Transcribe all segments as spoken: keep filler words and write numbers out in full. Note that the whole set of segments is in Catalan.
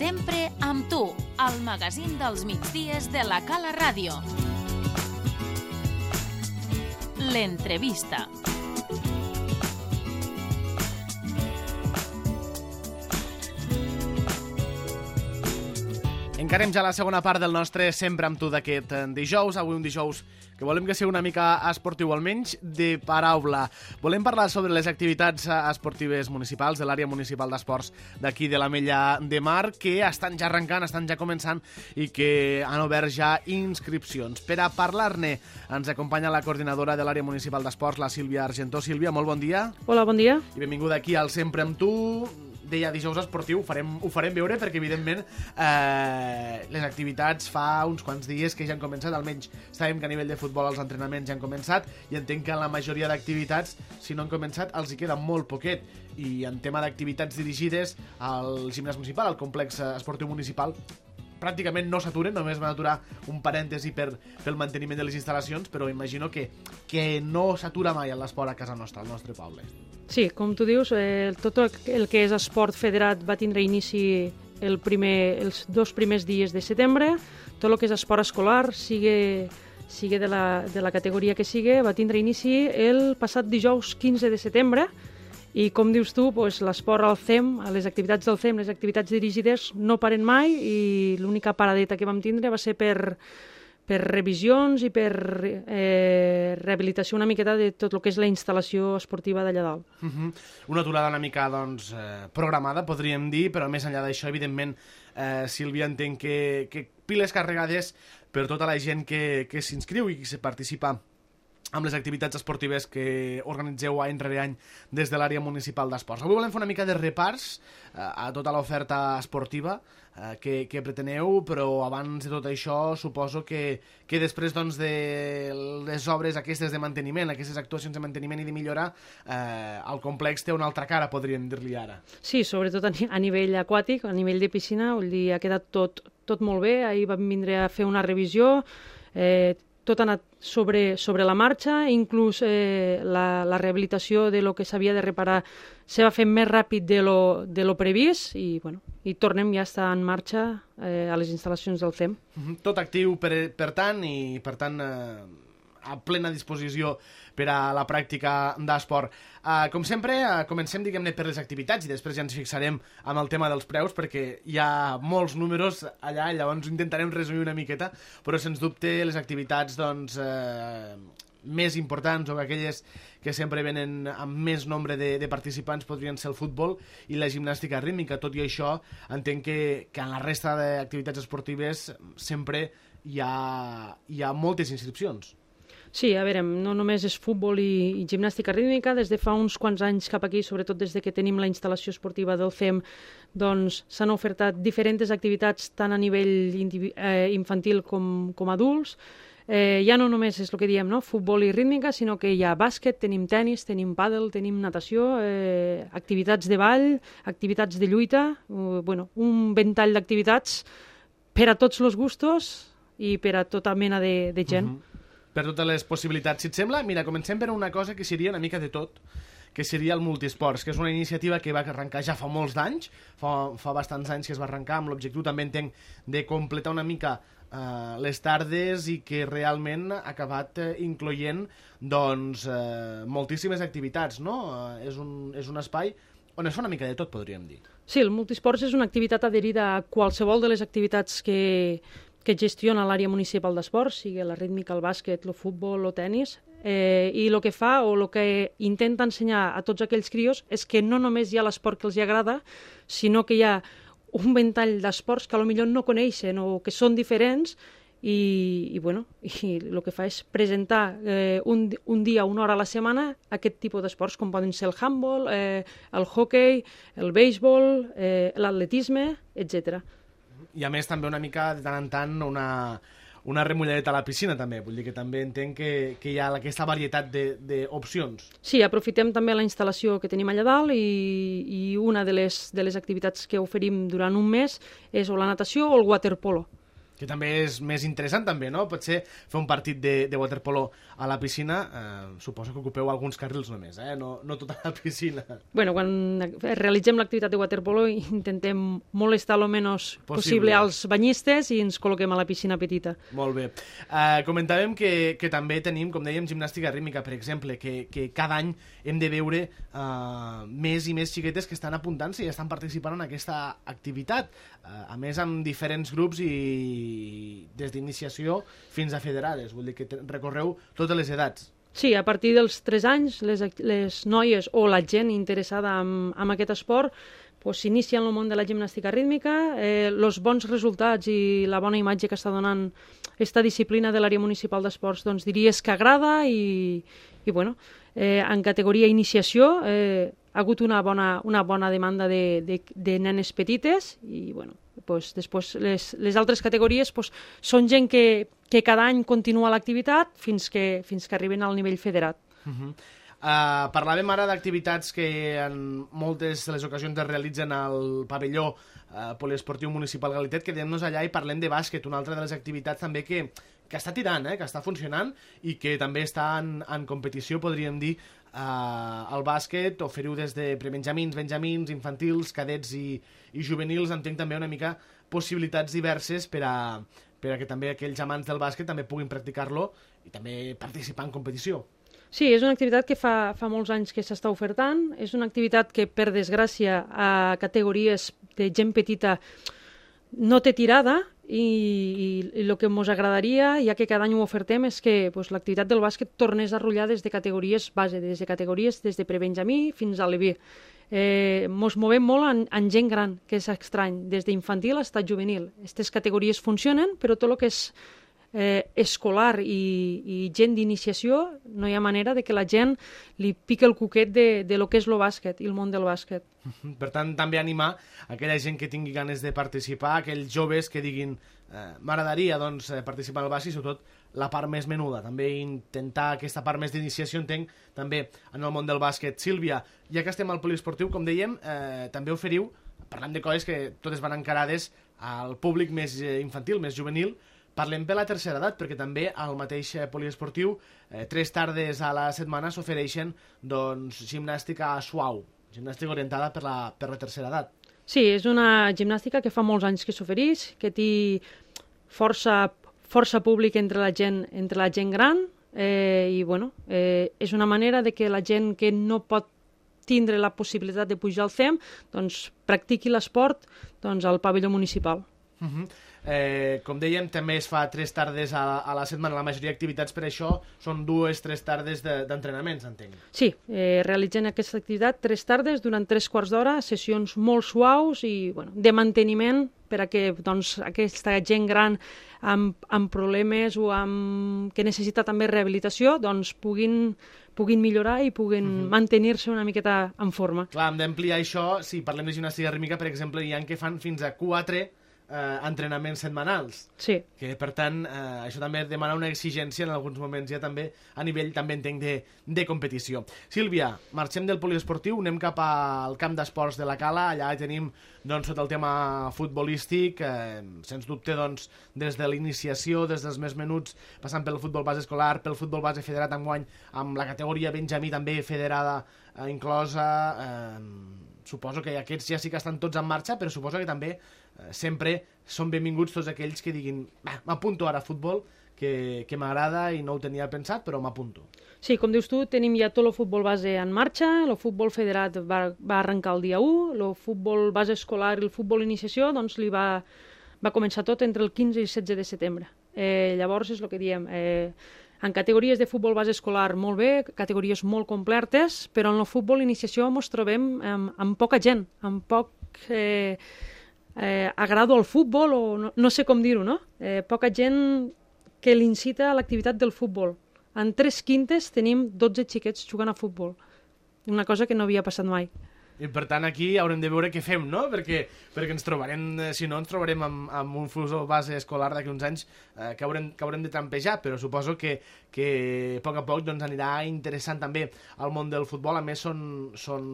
Sempre amb tu, al magazín dels migdies de la Cala Ràdio. L'entrevista. Encarem ja la segona part del nostre Sempre amb tu d'aquest dijous. Avui un dijous que volem que sigui una mica esportiu, almenys de paraula. Volem parlar sobre les activitats esportives municipals de l'àrea municipal d'esports d'aquí de l'Ametlla de Mar, que estan ja arrencant, estan ja començant i que han obert ja inscripcions. Per a parlar-ne ens acompanya la coordinadora de l'àrea municipal d'esports, la Sílvia Argentó. Sílvia, molt bon dia. Hola, bon dia. I benvinguda aquí al Sempre amb tu. Deia dijous esportiu, ho farem, ho farem veure perquè, evidentment, eh, les activitats fa uns quants dies que ja han començat, almenys sabem que a nivell de futbol els entrenaments ja han començat i entenc que en la majoria d'activitats, si no han començat, els hi queda molt poquet. I en tema d'activitats dirigides al gimnàs municipal, al complex esportiu municipal, pràcticament no s'aturen, només van aturar un parèntesi per, pel manteniment de les instal·lacions, però imagino que, que no s'atura mai l'esport a casa nostra, al nostre poble. Sí, com tu dius, eh, tot el que és esport federat va tindre inici el primer, els dos primers dies de setembre. Tot el que és esport escolar, sigui, sigui de, la, de la categoria que sigui, va tindre inici el passat dijous quinze de setembre. I com dius tu, doncs, l'esport al C E M, les activitats del C E M, les activitats dirigides, no paren mai i l'única paradeta que vam tindre va ser per, per revisions i per eh, rehabilitació una miqueta de tot el que és la instal·lació esportiva d'allà dalt. Uh-huh. Una aturada una mica doncs, eh, programada, podríem dir, però més enllà d'això, evidentment, eh, Sílvia, entenc que, que piles carregades per tota la gent que, que s'inscriu i que participa amb les activitats esportives que organitzeu any rere any des de l'àrea municipal d'esports. Avui volem fer una mica de repars eh, a tota l'oferta esportiva eh, que, que preteneu, però abans de tot això suposo que, que després doncs, de les obres aquestes de manteniment, aquestes actuacions de manteniment i de millora, eh, el complex té una altra cara, podríem dir-li ara. Sí, sobretot a, a nivell aquàtic, a nivell de piscina, vull dir, ha quedat tot, tot molt bé. Ahir vam vindre a fer una revisió, eh, tot ha anat sobre, sobre la marxa, inclús eh, la, la rehabilitació de lo que s'havia de reparar se va fer més ràpid de lo, de lo previst i, bueno, i tornem ja a estar en marxa eh, a les instal·lacions del C E M. Tot actiu, per, per tant, i per tant eh, a plena disposició per a la pràctica d'esport. Uh, com sempre, uh, comencem, diguem-ne, per les activitats i després ja ens fixarem amb el tema dels preus perquè hi ha molts números allà, llavors intentarem resumir una miqueta, però sens dubte les activitats doncs, uh, més importants o aquelles que sempre venen amb més nombre de, de participants podrien ser el futbol i la gimnàstica rítmica. Tot i això, entenc que, que en la resta d'activitats esportives sempre hi ha, hi ha moltes inscripcions. Sí, a veure, no només és futbol i, i gimnàstica rítmica, des de fa uns quants anys cap aquí, sobretot des de que tenim la instal·lació esportiva del C E M, doncs s'han ofertat diferents activitats tant a nivell eh, infantil com, com adults. Eh, ja no només és el que diem, no? Futbol i rítmica, sinó que hi ha bàsquet, tenim tenis, tenim pàdel, tenim natació, eh, activitats de ball, activitats de lluita, uh, bueno, un ventall d'activitats per a tots els gustos i per a tota mena de, de gent. Uh-huh. Per totes les possibilitats. Si et sembla, mira, comencem per una cosa que seria una mica de tot, que seria el multisports, que és una iniciativa que va arrencar ja fa molts d'anys, fa, fa bastants anys que es va arrencar, amb l'objectiu també entenc de completar una mica eh, les tardes i que realment ha acabat eh, incloent doncs, eh, moltíssimes activitats, no? Eh, és, un, és un espai on es fa una mica de tot, podríem dir. Sí, el multisports és una activitat adherida a qualsevol de les activitats que que gestiona l'àrea municipal d'esports, sigui la rítmica, el bàsquet, el futbol, el tenis, eh, i el que fa o el que intenta ensenyar a tots aquells crios és que no només hi ha l'esport que els agrada, sinó que hi ha un ventall d'esports que potser no coneixen o que són diferents i, i, bueno, i el que fa és presentar eh, un, un dia, una hora a la setmana aquest tipus d'esports, com poden ser el handball, eh, el hockey, el béisbol, eh, l'atletisme, etcètera. I a més també una mica de tant en tant una, una remulladeta a la piscina també, vull dir que també entenc que, que hi ha aquesta varietat d'opcions. Sí, aprofitem també la instal·lació que tenim allà dalt i, i una de les, de les activitats que oferim durant un mes és o la natació o el waterpolo. Que també és més interessant, també, no? Potser fer un partit de, de waterpolo a la piscina, eh, suposo que ocupeu alguns carrils només, eh? No, no tota la piscina. Bueno, quan realitzem l'activitat de waterpolo intentem molestar el menys possible, possible als banyistes i ens col·loquem a la piscina petita. Molt bé. Eh, comentàvem que, que també tenim, com dèiem, gimnàstica rítmica, per exemple, que, que cada any hem de veure eh, més i més xiquetes que estan apuntant-se i estan participant en aquesta activitat. Eh, a més, amb diferents grups i des d'iniciació fins a federades, vull dir que recorreu totes les edats. Sí, a partir dels tres anys, les, les noies o la gent interessada en, en aquest esport pues, s'inicia en el món de la gimnàstica rítmica. Els eh, bons resultats i la bona imatge que està donant aquesta disciplina de l'àrea municipal d'esports doncs, diries que agrada i, i bueno, eh, en categoria iniciació eh, ha hagut una bona, una bona demanda de, de, de nenes petites i bueno, pues, després les, les altres categories pues, són gent que, que cada any continua l'activitat fins que, fins que arriben al nivell federat. Uh -huh. uh, parlàvem ara d'activitats que en moltes de les ocasions es realitzen al pavelló uh, poliesportiu municipal Galitet. Quedem-nos allà i parlem de bàsquet, una altra de les activitats també que, que està tirant, eh, que està funcionant i que també està en, en competició, podríem dir, Uh, el bàsquet, oferiu des de prebenjamins, benjamins, infantils, cadets i, i juvenils. Entenc també una mica possibilitats diverses per a, per a que també aquells amants del bàsquet també puguin practicar-lo i també participar en competició. Sí, és una activitat que fa, fa molts anys que s'està ofertant. És una activitat que, per desgràcia, a categories de gent petita no té tirada i, i el que ens agradaria, ja que cada any ho ofertem, és que pues, l'activitat del bàsquet tornés a rotllar des de categories base, des de categories des de prebenjamí fins a l'E B. Eh, ens movem molt en, en gent gran, que és estrany, des d'infantil a estat juvenil. Aquestes categories funcionen, però tot el que és eh, escolar i, i gent d'iniciació, no hi ha manera de que la gent li pique el cuquet de, de lo que és el bàsquet i el món del bàsquet. Per tant, també animar aquella gent que tingui ganes de participar, aquells joves que diguin eh, m'agradaria doncs, participar al bàsquet, sobretot la part més menuda, també intentar aquesta part més d'iniciació, entenc, també en el món del bàsquet. Sílvia, ja que estem al poliesportiu, com dèiem, eh, també oferiu, parlant de coses que totes van encarades al públic més infantil, més juvenil. Parlem per la tercera edat, perquè també al mateix poliesportiu eh, tres tardes a la setmana s'ofereixen doncs, gimnàstica suau, gimnàstica orientada per la, per la tercera edat. Sí, és una gimnàstica que fa molts anys que s'ofereix, que té força, força públic entre la gent, entre la gent gran eh, i bueno, eh, és una manera de que la gent que no pot tindre la possibilitat de pujar al C E M doncs, practiqui l'esport doncs, al pavelló municipal. Uh -huh. eh, com dèiem, també es fa tres tardes a, a la setmana. La majoria d'activitats per això són dues, tres tardes d'entrenaments, de, entenc. Sí, eh, realitzen aquesta activitat tres tardes durant tres quarts d'hora, sessions molt suaus i bueno, de manteniment per a que doncs, aquesta gent gran amb, amb problemes o amb, que necessita també rehabilitació doncs, puguin, puguin millorar i puguin uh -huh. mantenir-se una miqueta en forma. Clar, hem d'ampliar això. Si parlem de gimnàstica rítmica, per exemple, hi ha que fan fins a quatre Eh, entrenaments setmanals. Sí. Que, per tant, eh, això també demana una exigència en alguns moments ja també a nivell, també entenc, de, de competició. Sílvia, marxem del poliesportiu, anem cap al camp d'esports de la Cala. Allà tenim, doncs, tot el tema futbolístic, eh, sens dubte, doncs, des de l'iniciació, des dels més menuts, passant pel futbol base escolar, pel futbol base federat enguany, amb la categoria Benjamí també federada eh, inclosa. Eh, suposo que aquests ja sí que estan tots en marxa, però suposo que també eh, sempre són benvinguts tots aquells que diguin m'apunto ara a futbol, que, que m'agrada i no ho tenia pensat, però m'apunto. Sí, com dius tu, tenim ja tot el futbol base en marxa, el futbol federat va, va arrencar el dia u, el futbol base escolar i el futbol iniciació doncs li va, va començar tot entre el quinze i el setze de setembre. Eh, llavors és el que diem, eh, en categories de futbol base escolar molt bé, categories molt completes, però en el futbol iniciació ens trobem amb, amb poca gent, amb poc eh, eh, agrado al futbol, o no, no sé com dir-ho, no? Eh, poca gent que l'incita a l'activitat del futbol. En tres quintes tenim dotze xiquets jugant a futbol, una cosa que no havia passat mai. I per tant aquí haurem de veure què fem, no? Perquè, perquè ens trobarem, si no ens trobarem amb, amb un futbol base escolar d'aquí uns anys eh, que, haurem, que haurem de trampejar, però suposo que, que a poc a poc doncs, anirà interessant també el món del futbol. A més són, són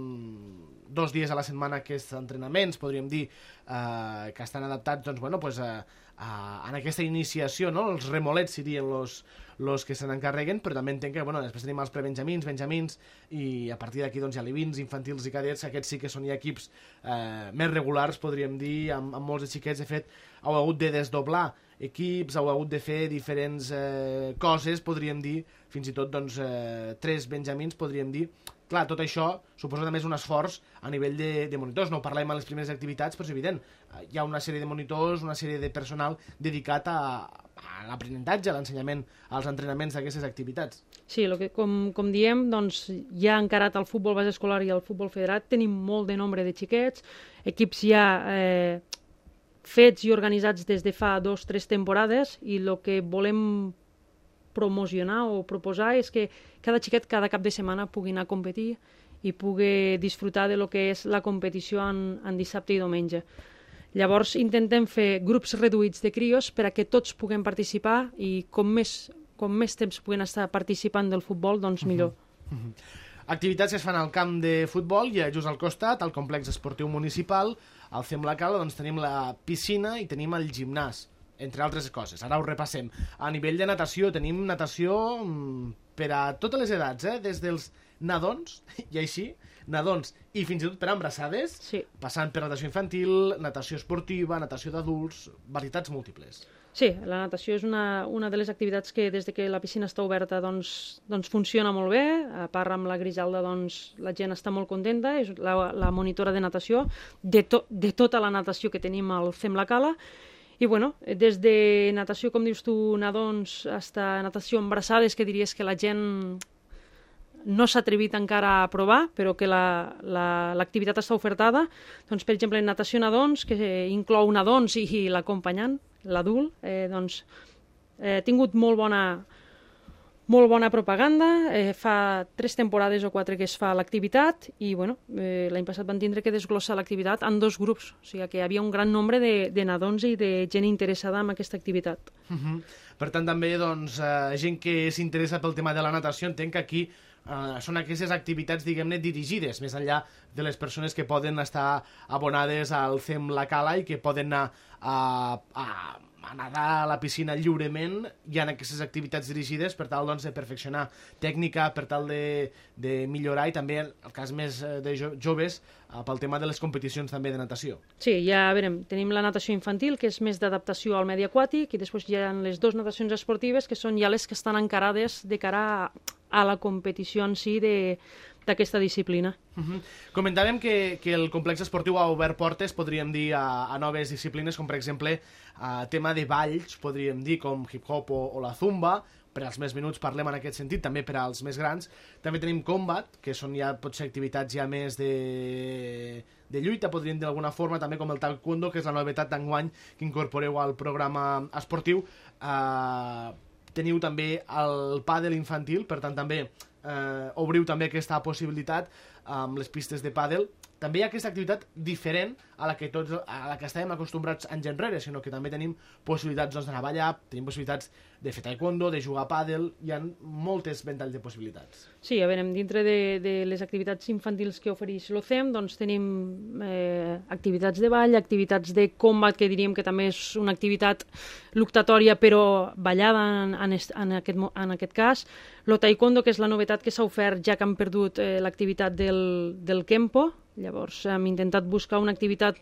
dos dies a la setmana aquests entrenaments, podríem dir, eh, que estan adaptats doncs, bueno, pues, a, a, en aquesta iniciació, no? Els remolets serien els los que se n'encarreguen, però també entenc que bueno, després tenim els prebenjamins, benjamins, i a partir d'aquí doncs, hi ha alevins, infantils i cadets, aquests sí que són ja equips eh, més regulars, podríem dir, amb, amb molts de xiquets. De fet, heu hagut de desdoblar equips, heu hagut de fer diferents eh, coses, podríem dir, fins i tot doncs, eh, tres benjamins, podríem dir. Clar, tot això suposa també un esforç a nivell de, de monitors. No ho parlem a les primeres activitats, però és evident. Hi ha una sèrie de monitors, una sèrie de personal dedicat a, a l'aprenentatge, a l'ensenyament, als entrenaments d'aquestes activitats. Sí, lo que, com, com diem, doncs, ja encarat al futbol base escolar i al futbol federat tenim molt de nombre de xiquets, equips ja eh, fets i organitzats des de fa dos o tres temporades, i el que volem promocionar o proposar és que cada xiquet cada cap de setmana pugui anar a competir i pugui disfrutar de lo que és la competició en, en dissabte i diumenge. Llavors intentem fer grups reduïts de crios per a que tots puguem participar, i com més, com més temps puguen estar participant del futbol, doncs millor. Uh -huh. Uh -huh. Activitats que es fan al camp de futbol, i just al costat, al complex esportiu municipal, al C E M La Cala, doncs tenim la piscina i tenim el gimnàs, entre altres coses. Ara ho repassem. A nivell de natació, tenim natació per a totes les edats, eh? Des dels nadons, i així, nadons i fins i tot per a embarassades, sí. Passant per natació infantil, natació esportiva, natació d'adults, varietats múltiples. Sí, la natació és una, una de les activitats que des de que la piscina està oberta doncs, doncs funciona molt bé. A part, amb la Grijalda doncs, la gent està molt contenta, és la, la monitora de natació, de, to, de tota la natació que tenim al C E M La Cala. I bueno, des de natació, com dius tu, nadons, fins a natació embarassades, que diries que la gent no s'ha atrevit encara a provar, però que l'activitat la, la, està ofertada. Doncs, per exemple, natació nadons, que inclou nadons i, i l'acompanyant, l'adult, eh, doncs, eh, ha tingut molt bona, molt bona propaganda. Eh, fa tres temporades o quatre que es fa l'activitat, i bueno, eh, l'any passat van tindre que desglossar l'activitat en dos grups, o sigui que hi havia un gran nombre de, de nadons i de gent interessada en aquesta activitat. Uh-huh. Per tant, també doncs, eh, gent que s'interessa pel tema de la natació, entenc que aquí Uh, són aquestes activitats, diguem-ne, dirigides, més enllà de les persones que poden estar abonades al C E M La Cala i que poden anar a, a, a nedar a la piscina lliurement. Hi ha aquestes activitats dirigides per tal doncs, de perfeccionar tècnica, per tal de, de millorar, i també, en el cas més de jo, joves, uh, pel tema de les competicions també de natació. Sí, ja veurem, tenim la natació infantil, que és més d'adaptació al medi aquàtic, i després hi ha les dues natacions esportives, que són ja les que estan encarades de cara a a la competició en si d'aquesta disciplina. Uh-huh. Comentàvem que, que el complex esportiu ha obert portes, podríem dir, a, a noves disciplines, com per exemple a tema de balls, podríem dir, com hip-hop o, o la zumba. Per als més menuts parlem en aquest sentit, també per als més grans. També tenim combat, que són ja potser activitats ja més de, de lluita, podríem dir d'alguna forma, també com el taekwondo, que és la novetat d'enguany que incorporeu al programa esportiu. Uh, Teniu també el pàdel infantil, per tant també eh, obriu també aquesta possibilitat amb les pistes de pàdel. També hi ha aquesta activitat diferent a la que tots a la que estàvem acostumbrats anys enrere, sinó que també tenim possibilitats doncs, d'anar a ballar, tenim possibilitats de fer taekwondo, de jugar a pàdel, hi ha moltes ventalls de possibilitats. Sí, a veure, dintre de, de les activitats infantils que ofereix l'O C E M, doncs tenim eh, activitats de ball, activitats de combat, que diríem que també és una activitat luctatòria, però ballada en, en, en, aquest, en aquest cas. Lo taekwondo, que és la novetat que s'ha ofert ja que han perdut eh, l'activitat del, del Kempo. Llavors hem intentat buscar una activitat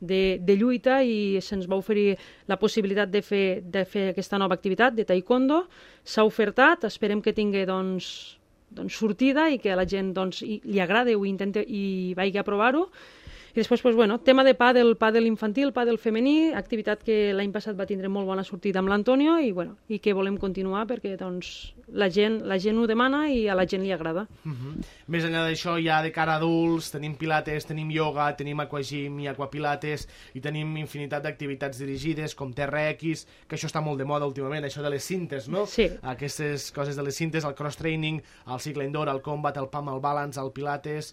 de, de lluita i se'ns va oferir la possibilitat de fer, de fer aquesta nova activitat de taekwondo. S'ha ofertat, esperem que tingui doncs, doncs sortida i que a la gent doncs, li agradi o intenti i vagi a provar-ho. I després, pues, bueno, tema de pàdel, pàdel infantil, pàdel femení, activitat que l'any passat va tindre molt bona sortida amb l'Antonio i, bueno, i que volem continuar perquè doncs, la, gent, la gent ho demana i a la gent li agrada. Uh-huh. Més enllà d'això, ja de cara a adults, tenim pilates, tenim ioga, tenim aquagym i aquapilates, i tenim infinitat d'activitats dirigides, com T R X, que això està molt de moda últimament, això de les cintes, no? Sí. Aquestes coses de les cintes, el cross-training, el cicle indoor, el combat, el pump, el balance, el pilates...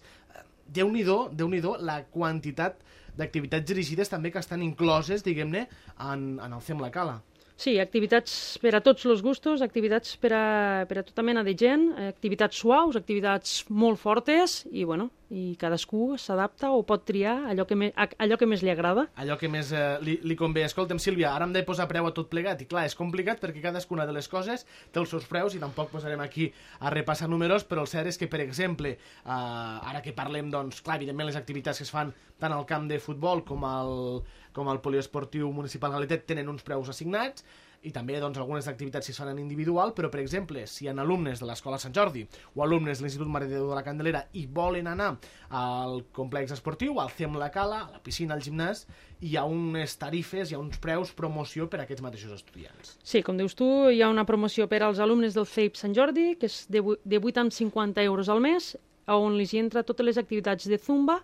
Déu-n'hi-do, Déu-n'hi-do la quantitat d'activitats dirigides també que estan incloses, diguem-ne, en, en el C E M La Cala. Sí, activitats per a tots els gustos, activitats per a, per a tota mena de gent, activitats suaus, activitats molt fortes i, bueno, i cadascú s'adapta o pot triar allò que, me, allò que més li agrada. Allò que més eh, li, li convé. Escolta'm, Sílvia, ara hem de posar preu a tot plegat, i clar, és complicat perquè cadascuna de les coses té els seus preus i tampoc posarem aquí a repassar números, però el cert és que, per exemple, eh, ara que parlem, doncs, clar, evidentment les activitats que es fan tant al camp de futbol com al, com al poliesportiu municipal Galetet tenen uns preus assignats, i també doncs, algunes activitats si es fan en individual, però per exemple, si hi ha alumnes de l'Escola Sant Jordi o alumnes de l'Institut Mare de Déu de la Candelera i volen anar al complex esportiu, al C E M La Cala, a la piscina, al gimnàs, hi ha unes tarifes, hi ha uns preus, promoció per a aquests mateixos estudiants. Sí, com dius tu, hi ha una promoció per als alumnes del C E I P Sant Jordi, que és de, de vuit cents cinquanta euros al mes, on li entra totes les activitats de zumba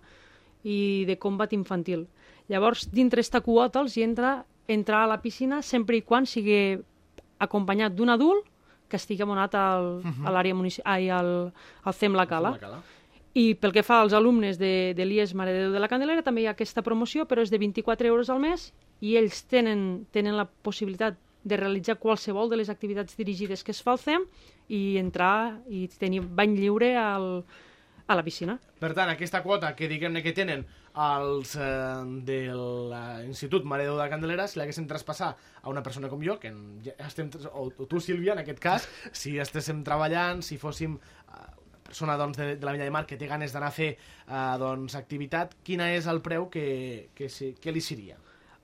i de combat infantil. Llavors, dintre esta quota els hi entra entrar a la piscina sempre i quan sigui acompanyat d'un adult que estigui abonat al, uh-huh. a l'àrea municipal, ai, al, al C E M La Cala. I pel que fa als alumnes de, de l'I E S Mare de Déu de la Candelera també hi ha aquesta promoció, però és de vint-i-quatre euros al mes i ells tenen, tenen la possibilitat de realitzar qualsevol de les activitats dirigides que es fa al C E M i entrar i tenir bany lliure al, a la piscina. Per tant, aquesta quota que diguem-ne que tenen els eh, de l'Institut Mare de Déu de la Candelera, si l'haguéssim traspassar a una persona com jo, que ja estem, o tu, Sílvia, en aquest cas, si estéssim treballant, si fóssim eh, una persona doncs, de, de la Milla de Mar que té ganes d'anar a fer eh, doncs, activitat, quina és el preu que, que, que li seria?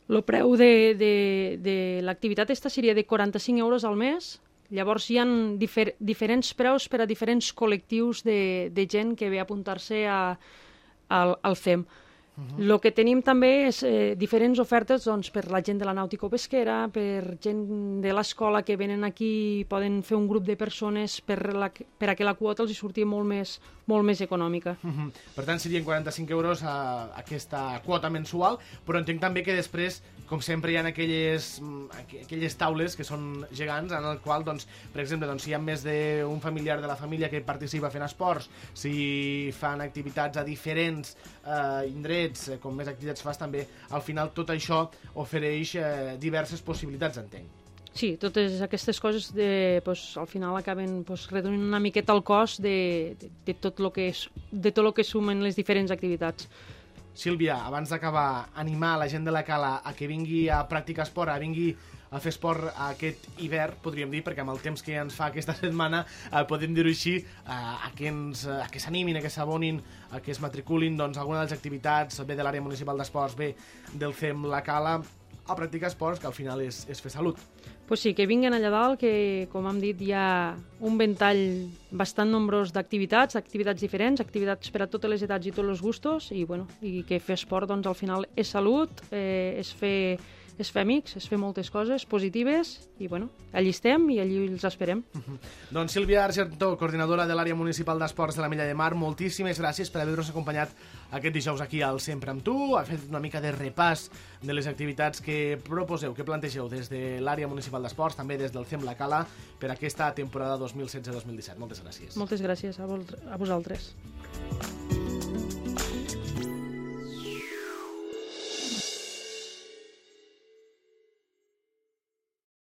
El preu de, de, de l'activitat esta seria de quaranta-cinc euros al mes. Llavors hi ha difer diferents preus per a diferents col·lectius de, de gent que ve a apuntar-se al, al C E M. El uh-huh. que tenim també és eh, diferents ofertes doncs, per la gent de la nàutico-pesquera, per gent de l'escola que venen aquí i poden fer un grup de persones per, la, per a que la quota els hi surti molt més, molt més econòmica. Uh-huh. Per tant, serien quaranta-cinc euros a, a aquesta quota mensual, però entenc també que després, com sempre, hi ha aquelles, aquelles taules que són gegants en el qual, doncs, per exemple, doncs, si hi ha més d'un familiar de la família que participa fent esports, si fan activitats a diferents eh, indrets, eh, com més activitats fas també, al final tot això ofereix eh, diverses possibilitats, entenc. Sí, totes aquestes coses de, pues, al final acaben pues, reduint una miqueta el cost de, de, de tot el que, és, de tot el que sumen les diferents activitats. Sílvia, abans d'acabar, animar la gent de la Cala a que vingui a practicar esport, a vingui a fer esport aquest hivern, podríem dir, perquè amb el temps que ens fa aquesta setmana, eh, podem dir-ho així, eh, a que ens, a que s'animin, a que s'abonin, a que es matriculin doncs, alguna de les activitats, bé de l'àrea municipal d'esports, bé del C E M La Cala, a practicar esports, que al final és, és fer salut. Pues sí, que vinguen allà dalt, que, com hem dit, hi ha un ventall bastant nombrós d'activitats, activitats diferents, activitats per a totes les edats i tots els gustos, i, bueno, i que fer esport, doncs, al final és salut, eh, és fer... és fer amics, és fer moltes coses positives i, bueno, allí estem i allí els esperem. Uh-huh. Doncs Sílvia Argentó, coordinadora de l'àrea municipal d'esports de la Milla de Mar, moltíssimes gràcies per haver-nos acompanyat aquest dijous aquí al Sempre amb tu. Ha fet una mica de repàs de les activitats que proposeu, que plantegeu des de l'àrea municipal d'esports, també des del C E M La Cala, per aquesta temporada dos mil setze dos mil disset. Moltes gràcies. Moltes gràcies a, a vosaltres.